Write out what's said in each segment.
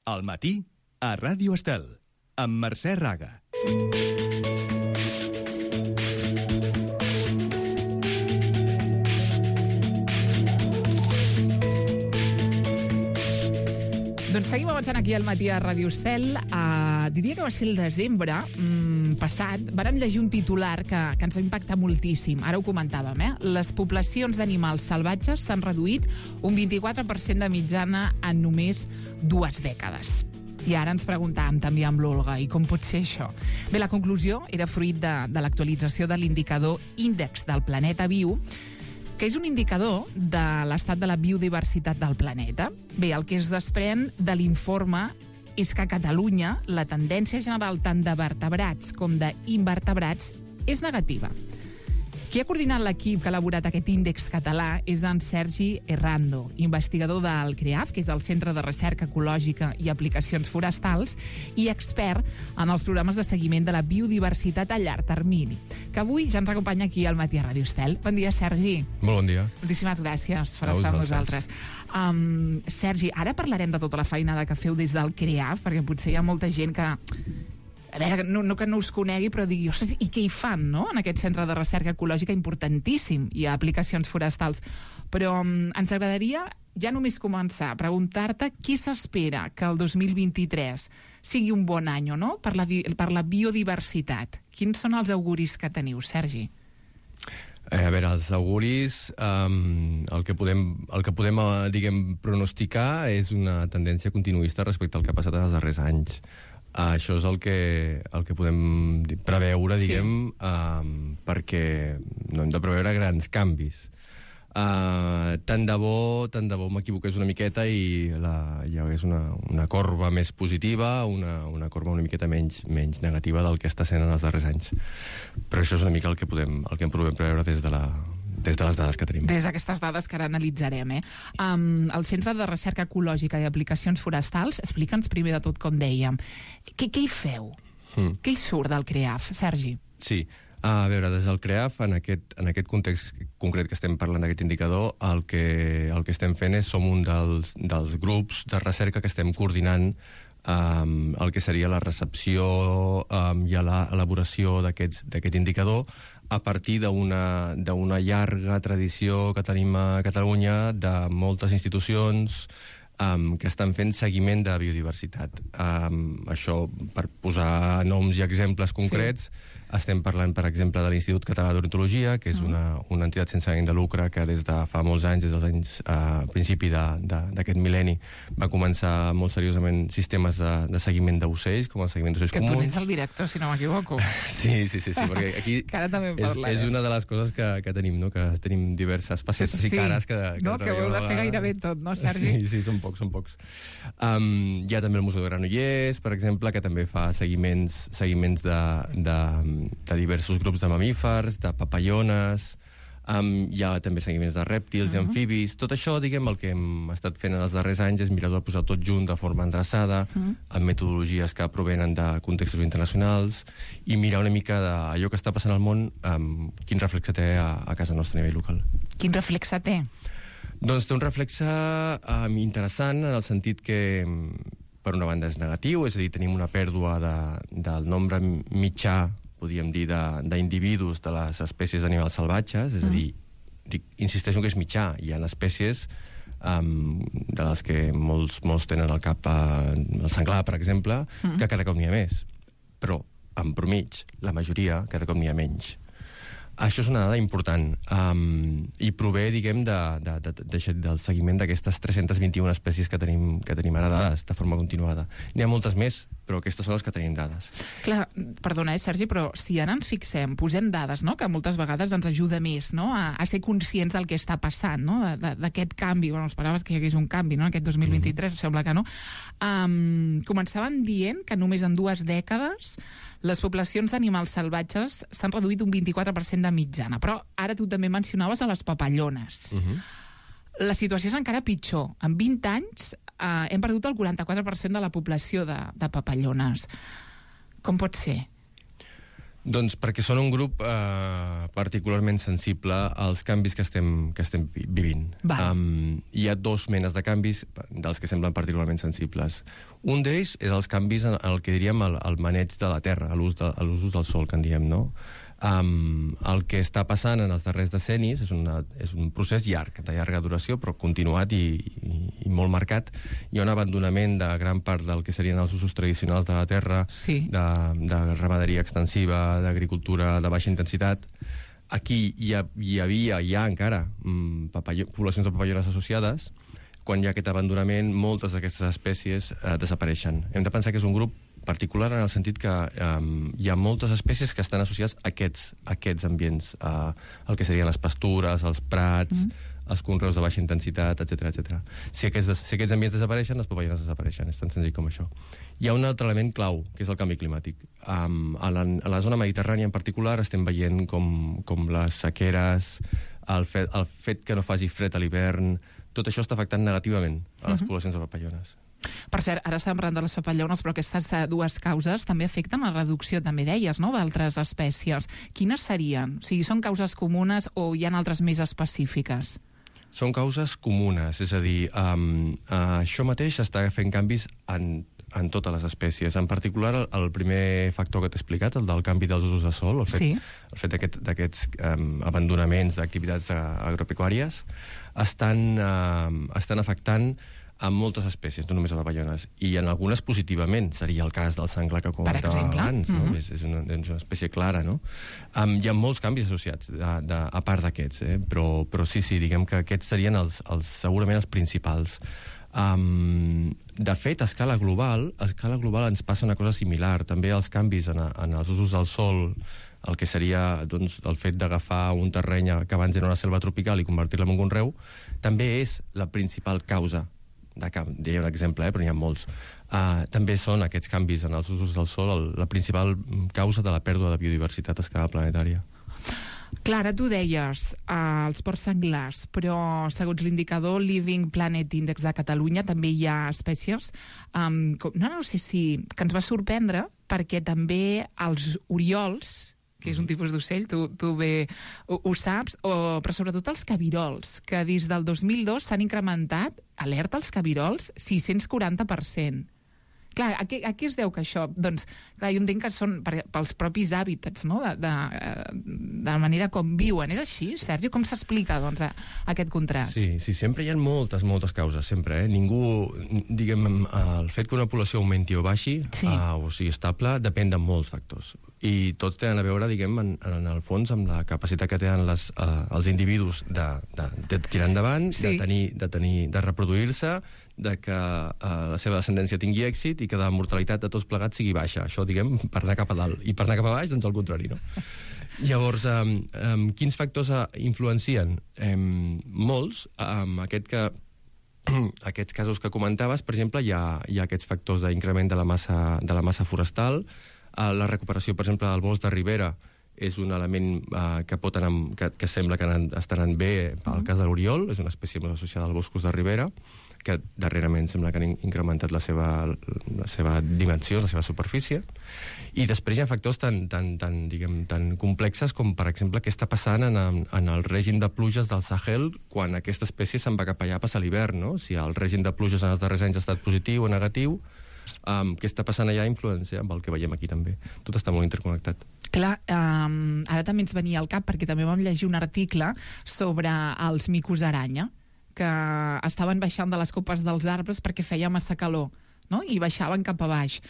Al matí, a Ràdio Estel, amb Mercè Raga. Doncs seguim avançant aquí al matí a Ràdio Estel. Diria que va ser el desembre passat. Vàrem llegir un titular que ens va impactar moltíssim. Ara ho comentàvem, Les poblacions d'animals salvatges s'han reduït un 24% de mitjana en només 2 dècades. I ara ens preguntàvem també amb l'Olga, i com pot ser això? Bé, la conclusió era fruit de l'actualització de l'indicador Índex del Planeta Viu, que és un indicador de l'estat de la biodiversitat del planeta. Bé, el que es desprèn de l'informe és que a Catalunya la tendència general tant de vertebrats com d'invertebrats és negativa. Qui ha coordinat l'equip que ha elaborat aquest índex català és en Sergi Errando, investigador del CREAF, que és el Centre de Recerca Ecològica i Aplicacions Forestals, i expert en els programes de seguiment de la biodiversitat a llarg termini, que avui ja ens acompanya aquí al matí a Ràdio Estel. Bon dia, Sergi. Molt bon dia. Moltíssimes gràcies per estar amb nosaltres. Sergi, ara parlarem de tota la feinada que feu des del CREAF, perquè potser hi ha molta gent que... A veure, no que no us conegui, però digui, ostres, i què hi fan, no?, en aquest centre de recerca ecològica importantíssim i a aplicacions forestals. Però ens agradaria ja només començar a preguntar-te qui s'espera que el 2023 sigui un bon any, no?, per la biodiversitat. Quins són els auguris que teniu, Sergi? A veure, els auguris, el que podem diguem, pronosticar és una tendència continuista respecte al que ha passat en els darrers anys. Això és el que podem preveure, diguem, perquè no hem de preveure grans canvis. Tant de bo m'equivoqués una miqueta i hi hagués una corba més positiva, una corba una miqueta menys negativa del que està sent en els darrers anys. Però això és una mica el que podem preveure des de les dades que tenim. Des d'aquestes dades que ara analitzarem. El Centre de Recerca Ecològica i Aplicacions Forestals, explica'ns primer de tot, com dèiem. Què hi feu? Què hi surt del CREAF, Sergi? Sí, a veure, des del CREAF, en aquest context concret que estem parlant d'aquest indicador, el que estem fent som un dels grups de recerca que estem coordinant el que seria la recepció i l'elaboració d'aquest indicador a partir d'una llarga tradició que tenim a Catalunya de moltes institucions que estan fent seguiment de biodiversitat. Això, per posar noms i exemples concrets, estem parlant, per exemple, de l'Institut Català d'Ornitologia, que és una entitat sense ànim de lucre que des de fa molts anys, des dels anys principi d'aquest mil·lenni, va començar molt seriosament sistemes de seguiment d'ocells, com el seguiment d'ocells comuns. Que tu n'ets el director, si no m'equivoco. Sí, perquè aquí és una de les coses que tenim, no?, que tenim diverses facetes i cares que no, que ho heu de fer gairebé tot, no, Sergi? Sí, són pocs. Hi ha també el Museu de Granollers, per exemple, que també fa seguiments de diversos grups de mamífers, de papallones, hi ha també seguiments de rèptils i amfibis. Tot això, diguem, el que hem estat fent en els darrers anys és mirar de posar tot junt de forma endreçada, amb metodologies que provenen de contextos internacionals, i mirar una mica d'allò que està passant al món, quin reflexe té a casa nostra a nivell local. Quin reflexe té? Doncs té un reflexe interessant, en el sentit que, per una banda, és negatiu, és a dir, tenim una pèrdua del nombre mitjà, podríem dir, d'individus de les espècies d'animals salvatges, és a dir, insisteixo que és mitjà, hi ha espècies de les que molts tenen al cap el senglar, per exemple, que cada cop n'hi ha més, però en promig, la majoria, cada cop n'hi ha menys. Això és una dada important i prové, diguem, del seguiment d'aquestes 321 espècies que tenim ara dades de forma continuada. N'hi ha moltes més, però aquestes són les que tenim dades. Clar, perdona, Sergi, però si ara ens fixem, posem dades, no?, que moltes vegades ens ajuda més, no?, a ser conscients del que està passant, no?, d'aquest canvi. Bueno, esperaves que hi hagués un canvi, no?, aquest 2023, sembla que no. Començaven dient que només en 2 dècades les poblacions d'animals salvatges s'han reduït un 24% de mitjana, però ara tu també mencionaves a les papallones. La situació és encara pitjor. En 20 anys hem perdut el 44% de la població de papallones. Com pot ser? Doncs perquè són un grup particularment sensible als canvis que estem vivint. Hi ha dos menes de canvis dels que semblen particularment sensibles. Un d'ells és els canvis en el que diríem el maneig de la terra, l'ús del sol, que en diem, no? El que està passant en els darrers decennis és un procés llarg, de llarga duració, però continuat i molt marcat. Hi ha un abandonament de gran part del que serien els usos tradicionals de la terra, de ramaderia extensiva, d'agricultura de baixa intensitat. Aquí hi ha encara poblacions de papallones associades. Quan hi ha aquest abandonament, moltes d'aquestes espècies desapareixen. Hem de pensar que és un grup particular en el sentit que hi ha moltes espècies que estan associades a aquests ambients, el que serien les pastures, els prats, els conreus de baixa intensitat, etc. Si aquests ambients desapareixen, les papallones desapareixen. És tan senzill com això. Hi ha un altre element clau, que és el canvi climàtic. A la zona mediterrània en particular estem veient com les sequeres, el fet que no faci fred a l'hivern, tot això està afectant negativament a les poblacions de papallones. Per cert, ara estàvem parlant de les papallones, però aquestes dues causes també afecten la reducció, també deies, no?, d'altres espècies. Quines serien? O sigui, són causes comunes o hi ha altres més específiques? Són causes comunes, és a dir, això mateix està fent canvis en totes les espècies. En particular, el primer factor que t'he explicat, el del canvi dels usos de sol, el fet d'aquests abandonaments d'activitats agropecuàries, estan afectant a moltes espècies, no només a papallones, i en algunes positivament. Seria el cas del senglar que comentava abans, no? És una espècie clara, no? Hi ha molts canvis associats, a part d'aquests, però sí, diguem que aquests serien segurament els principals. De fet, a escala global ens passa una cosa similar. També els canvis en els usos del sol, el que seria el fet d'agafar un terreny que abans era una selva tropical i convertir-la en un conreu, també és la principal causa. Deia un exemple, però n'hi ha molts. També són aquests canvis en els usos del sol la principal causa de la pèrdua de biodiversitat a escala planetària. Clara, tu deies els porcs senglars, però segons l'indicador Living Planet Index de Catalunya també hi ha espècies no sé si que ens va sorprendre, perquè també els oriols, que és un tipus d'ocell, tu bé ho saps, però sobretot els cabirols, que des del 2002 s'han incrementat, alerta als cabirols, 640%. Clar, a què es deu que això? Doncs, clar, jo entenc que són pels propis hàbitats, no?, de la manera com viuen. És així, Sergi? Com s'explica, doncs, aquest contrast? Sí, sempre hi ha moltes causes, sempre, Ningú, diguem, el fet que una població augmenti o baixi, o sigui estable, depèn de molts factors. I tots tenen a veure, diguem, en el fons, amb la capacitat que tenen els individus de tirar endavant, de reproduir-se, de que la seva descendència tingui èxit i que la mortalitat de tots plegats sigui baixa. Això, diguem, per anar cap a dalt. I per anar cap a baix, doncs el contrari, no? Llavors, quins factors influencien? Molts. Aquests casos que comentaves, per exemple, hi ha aquests factors d'increment de la massa forestal. La recuperació, per exemple, del bosc de ribera és un element que sembla que està anant bé pel cas de l'oriol, és una espècie molt associada als boscos de ribera, que darrerament sembla que han incrementat la seva dimensió, la seva superfície. I després hi ha factors tan complexes com, per exemple, què està passant en el règim de pluges del Sahel quan aquesta espècie se'n va cap allà a passar l'hivern, no? Si el règim de pluges en els darrers anys ha estat positiu o negatiu, què està passant allà influència amb el que veiem aquí també. Tot està molt interconnectat. Clar, ara també ens venia al cap, perquè també vam llegir un article sobre els micos aranya, que estaven baixant de les copes dels arbres perquè feia massa calor, no?, i baixaven cap a baix.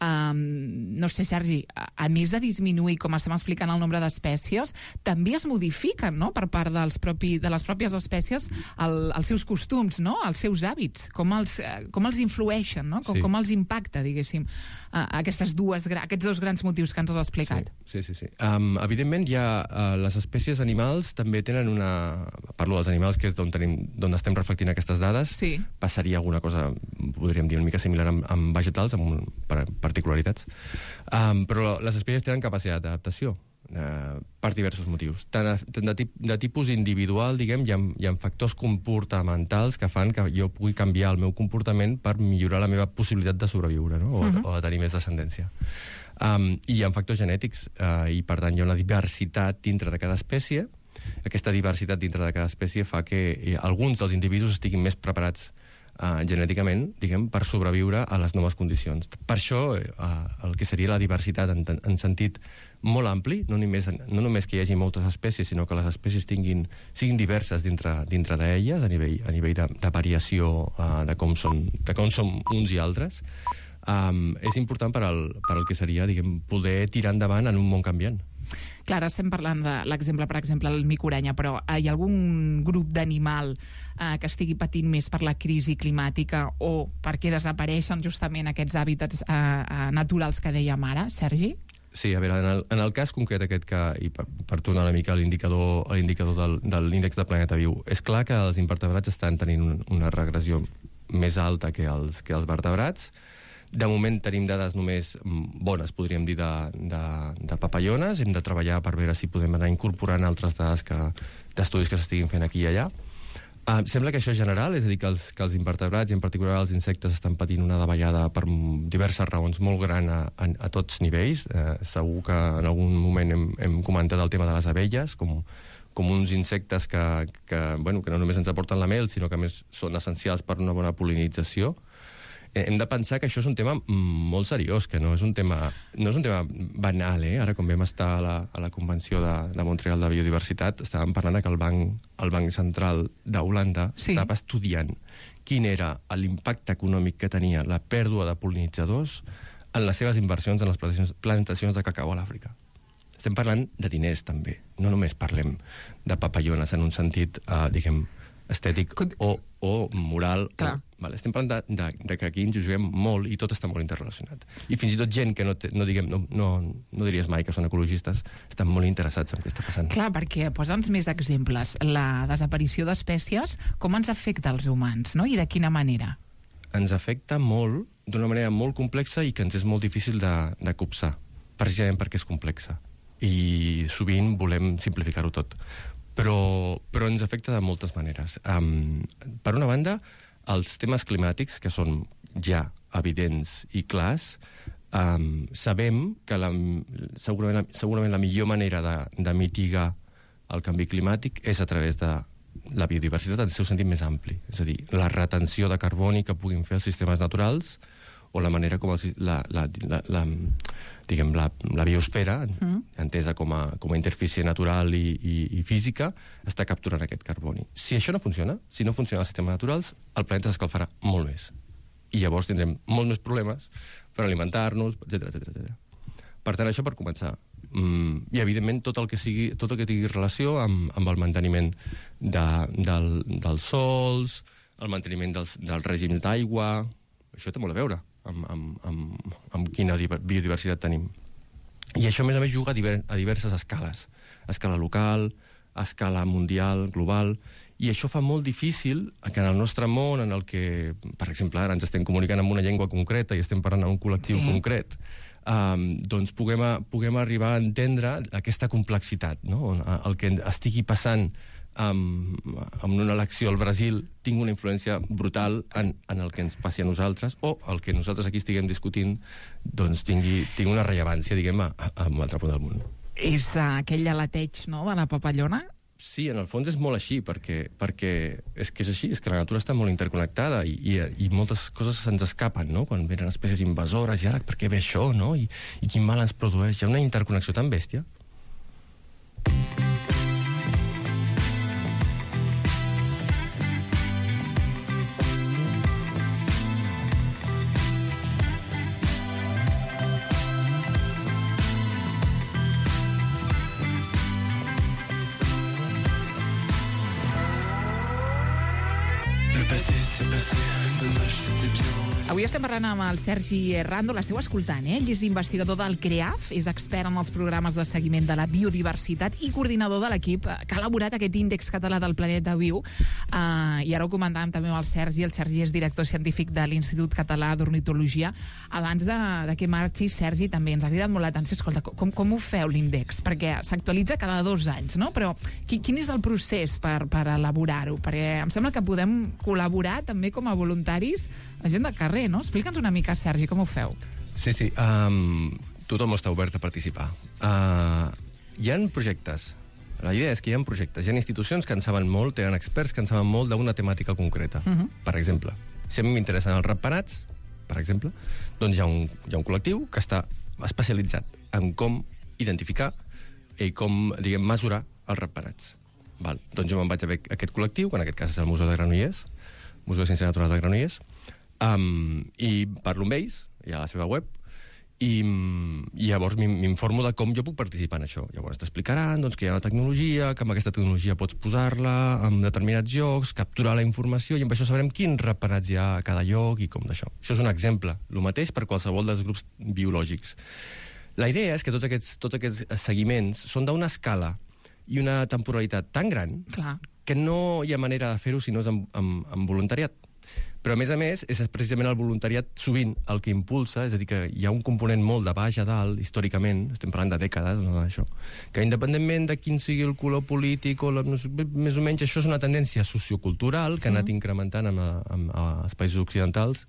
No sé, Sergi, a més de disminuir, com estem explicant, el nombre d'espècies, també es modifiquen, no?, per part de les pròpies espècies els seus costums, no?, els seus hàbits, com els influeixen, no?, com els impacta, diguéssim, aquests dos grans motius que ens has explicat. Sí. Evidentment, les espècies animals també tenen parlo dels animals, que és d'on estem reflectint aquestes dades. Passaria alguna cosa, podríem dir, una mica similar amb vegetals, amb particularitats. Però les espècies tenen capacitat d'adaptació. per diversos motius. Tant de tipus individual, diguem, hi ha factors comportamentals que fan que jo pugui canviar el meu comportament per millorar la meva possibilitat de sobreviure, no? O de tenir més descendència. I hi ha factors genètics, i per tant hi ha una diversitat dintre de cada espècie. Aquesta diversitat dintre de cada espècie fa que alguns dels individus estiguin més preparats genèticament, diguem, per sobreviure a les noves condicions. Per això, el que seria la diversitat en sentit molt ampli, no només que hi hagi moltes espècies, sinó que les espècies siguin diverses dintre d'elles, a nivell de variació de com són uns i altres, és important per al que seria, diguem, poder tirar endavant en un món canviant. Clar, ara estem parlant de l'exemple, per exemple, el micorenya, però hi ha algun grup d'animal que estigui patint més per la crisi climàtica o perquè desapareixen justament aquests hàbitats naturals que dèiem ara, Sergi? Sí, a veure, en el cas concret aquest i per tornar una mica a l'indicador de l'índex de planeta viu, és clar que els invertebrats estan tenint una regressió més alta que els vertebrats. De moment tenim dades només bones, podríem dir, de papallones. Hem de treballar per veure si podem anar incorporant altres dades d'estudis que s'estiguin fent aquí i allà. Sembla que això és general, és a dir, que els invertebrats, i en particular els insectes, estan patint una davallada per diverses raons molt gran a tots nivells. Segur que en algun moment hem comentat el tema de les abelles, com uns insectes que no només ens aporten la mel, sinó que a més són essencials per una bona pol·linització. Hem de pensar que això és un tema molt seriós, que no és un tema banal. Ara, quan vam estar a la Convenció de Montreal de Biodiversitat, estàvem parlant que el Banc Central d'Holanda estava estudiant quin era l'impacte econòmic que tenia la pèrdua de pol·linitzadors en les seves inversions en les plantacions de cacau a l'Àfrica. Estem parlant de diners, també. No només parlem de papallones en un sentit, diguem, estètic o moral. Estem parlant de que aquí ens juguem molt i tot està molt interrelacionat. I fins i tot gent que no diries mai que són ecologistes, estan molt interessats en què està passant. Clar, perquè posa'ns més exemples. La desaparició d'espècies, com ens afecta als humans, no? I de quina manera? Ens afecta molt, d'una manera molt complexa i que ens és molt difícil de copsar, precisament perquè és complexa. I sovint volem simplificar-ho tot. Però ens afecta de moltes maneres. Per una banda, els temes climàtics, que són ja evidents i clars, sabem que segurament la millor manera de mitigar el canvi climàtic és a través de la biodiversitat en el seu sentit més ampli. És a dir, la retenció de carboni que puguin fer els sistemes naturals o la manera com la biosfera, entesa com a interfície natural i física, està capturant aquest carboni. Si això no funciona, si no funcionen els sistemes naturals, el planeta s'escalfarà molt més. I llavors tindrem molts més problemes per alimentar-nos, etc. Per tant, això per començar. I, evidentment, tot el que tingui relació amb el manteniment dels sols, el manteniment dels règims d'aigua. Això té molt a veure amb quina biodiversitat tenim. I això, a més, juga a diverses escales. A escala local, a escala mundial, global, i això fa molt difícil que en el nostre món, en el que, per exemple, ara ens estem comunicant amb una llengua concreta i estem parlant amb un col·lectiu concret, doncs puguem arribar a entendre aquesta complexitat, no? El que estigui passant amb una elecció al Brasil tingui una influència brutal en el que ens passi a nosaltres, o el que nosaltres aquí estiguem discutint doncs tingui una rellevància, diguem, a un altre punt del món. És aquell aleteig, no?, de la papallona? Sí, en el fons és molt així, perquè és que és així, és que la natura està molt interconnectada i moltes coses se'ns escapen, no?, quan venen espècies invasores, i ara per què ve això, no?, i quin mal ens produeix. Hi ha una interconnexió tan bèstia. Le passé, c'est passé, dommage, c'était bien. Avui estem parlant amb el Sergi Rando, l'esteu escoltant, eh? Ell és investigador del CREAF, és expert en els programes de seguiment de la biodiversitat i coordinador de l'equip que ha elaborat aquest índex català del planeta viu. I ara ho comentàvem també amb el Sergi és director científic de l'Institut Català d'Ornitologia. Abans de que marxi, Sergi, també ens ha cridat molt l'atenció. Escolta, com ho feu l'índex? Perquè s'actualitza cada 2 anys, no? Però quin és el procés per elaborar-ho? Perquè em sembla que podem col·laborar també com a voluntaris, la gent del carrer, no? Explica'ns una mica, Sergi, com ho feu? Sí. Tothom està obert a participar. Hi ha projectes. La idea és que hi ha projectes. Hi ha institucions que en saben molt, tenen experts que en saben molt d'una temàtica concreta. Per exemple, si a mi m'interessen els ratpenats, per exemple, doncs hi ha un col·lectiu que està especialitzat en com identificar i com, diguem, mesurar els ratpenats. Val. Doncs jo me'n vaig a veure aquest col·lectiu, que en aquest cas és el Museu de Granollers, Museu de Ciències Naturals de Granollers, i parlo amb ells, hi ha la seva web, i llavors m'informo de com jo puc participar en això. Llavors t'explicaran doncs, que hi ha una tecnologia, que amb aquesta tecnologia pots posar-la en determinats llocs, capturar la informació, i amb això sabrem quins ratpenats hi ha a cada lloc i com d'això. Això és un exemple. El mateix per qualsevol dels grups biològics. La idea és que tots aquests seguiments són d'una escala i una temporalitat tan gran que no hi ha manera de fer-ho si no és amb voluntariat. Però, a més, és precisament el voluntariat sovint el que impulsa, és a dir, que hi ha un component molt de baix a dalt, històricament, estem parlant de dècades, no d'això, que independentment de quin sigui el color polític, més o menys això és una tendència sociocultural que ha anat incrementant als països occidentals,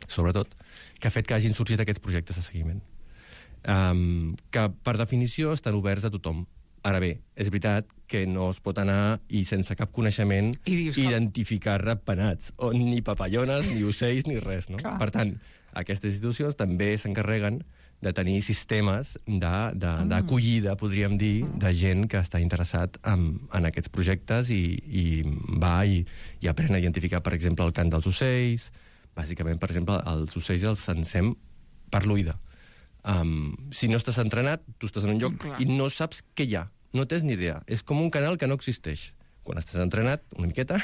sobretot, que ha fet que hagin sorgit aquests projectes de seguiment. Que, per definició, estan oberts a tothom. Ara bé, és veritat que no es pot anar i sense cap coneixement identificar ratpenats, ni papallones, ni ocells, ni res, no? Per tant, aquestes institucions també s'encarreguen de tenir sistemes d'acollida, podríem dir, de gent que està interessat en aquests projectes i va i aprèn a identificar, per exemple, el cant dels ocells. Bàsicament, per exemple, els ocells els censem per l'oïda. Si no estàs entrenat, tu estàs en un lloc i no saps què hi ha. No tens ni idea. És com un canal que no existeix. Quan estàs entrenat, una miqueta,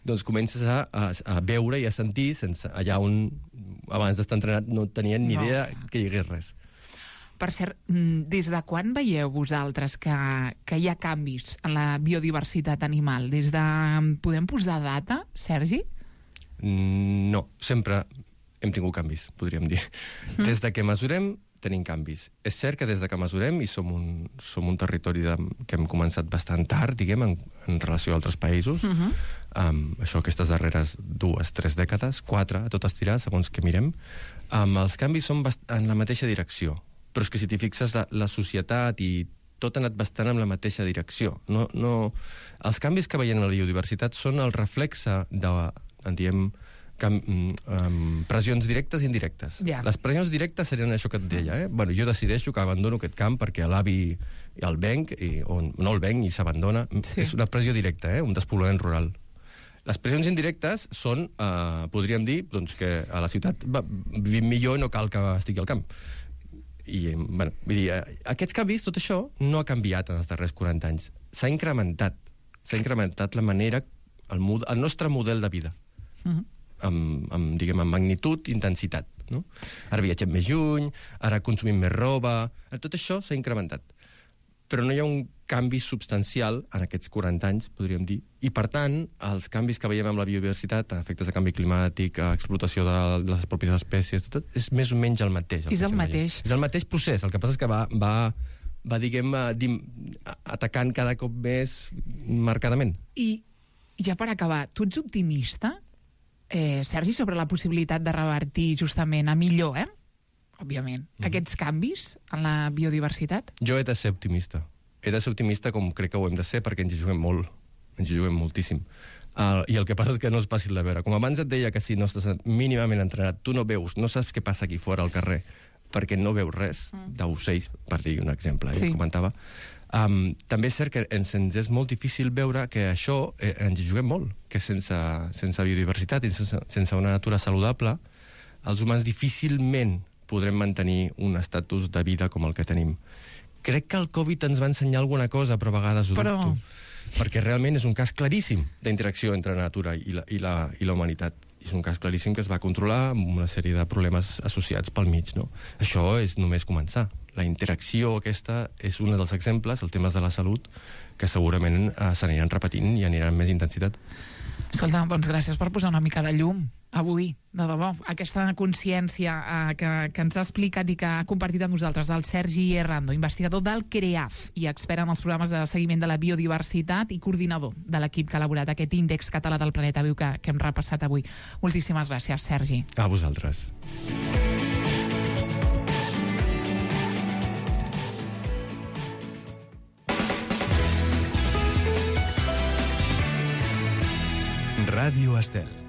doncs comences a veure i a sentir allà on abans d'estar entrenat no tenien ni idea que hi hagués res. Per cert, des de quan veieu vosaltres que hi ha canvis en la biodiversitat animal? Podem posar data, Sergi? No, sempre hem tingut canvis, podríem dir. Des de que mesurem, tenim canvis. És cert que des de que mesurem, i som un territori que hem començat bastant tard, diguem, en relació a altres països, això aquestes darreres 2-3 dècades, 4 a tot estirar, segons que mirem, els canvis són en la mateixa direcció. Però és que si t'hi fixes, la societat i tot ha anat bastant en la mateixa direcció. Els canvis que veiem en la biodiversitat són el reflexe de, diem, pressions directes i indirectes. Les pressions directes serien això que et deia. Jo decideixo que abandono aquest camp perquè l'avi el venc, o no el venc i s'abandona. És una pressió directa, un despoblament rural. Les pressions indirectes són, podríem dir, que a la ciutat vivim millor i no cal que estigui al camp. Vull dir, aquests canvis, tot això, no ha canviat en els darrers 40 anys. S'ha incrementat la manera, el nostre model de vida. Amb magnitud i intensitat. Ara viatgem més lluny, ara consumim més roba. Tot això s'ha incrementat. Però no hi ha un canvi substancial en aquests 40 anys, podríem dir. I, per tant, els canvis que veiem amb la biodiversitat, efectes de canvi climàtic, explotació de les pròpies espècies, tot és més o menys el mateix. És el mateix. És el mateix procés. El que passa és que va diguem, atacant cada cop més marcadament. I ja per acabar, tu ets optimista? Sergi, sobre la possibilitat de revertir justament a millor, òbviament, aquests canvis en la biodiversitat? Jo he de ser optimista. He de ser optimista com crec que ho hem de ser perquè ens hi juguem molt. Ens hi juguem moltíssim. I el que passa és que no és fàcil de veure. Com abans et deia que si no estàs mínimament entrenat, tu no veus, no saps què passa aquí fora al carrer, perquè no veus res d'ocells, per dir un exemple, comentava. També és cert que ens és molt difícil veure que això ens hi juguem molt, que sense biodiversitat i sense una natura saludable, els humans difícilment podrem mantenir un estatus de vida com el que tenim. Crec que el Covid ens va ensenyar alguna cosa, però a vegades ho dubto. Perquè realment és un cas claríssim d'interacció entre la natura i la humanitat. és un cas claríssim que es va controlar amb una sèrie de problemes associats pel mig, no? Això és només començar. La interacció aquesta és un dels exemples, el temes de la salut, que segurament s'aniran repetint i aniran amb més intensitat. Escolta, doncs gràcies per posar una mica de llum avui, de debò. Aquesta consciència que ens ha explicat i que ha compartit amb nosaltres el Sergi Errando, investigador del CREAF i expert en els programes de seguiment de la biodiversitat i coordinador de l'equip que ha elaborat aquest índex català del planeta viu que hem repassat avui. Moltíssimes gràcies, Sergi. A vosaltres. Ràdio Estel.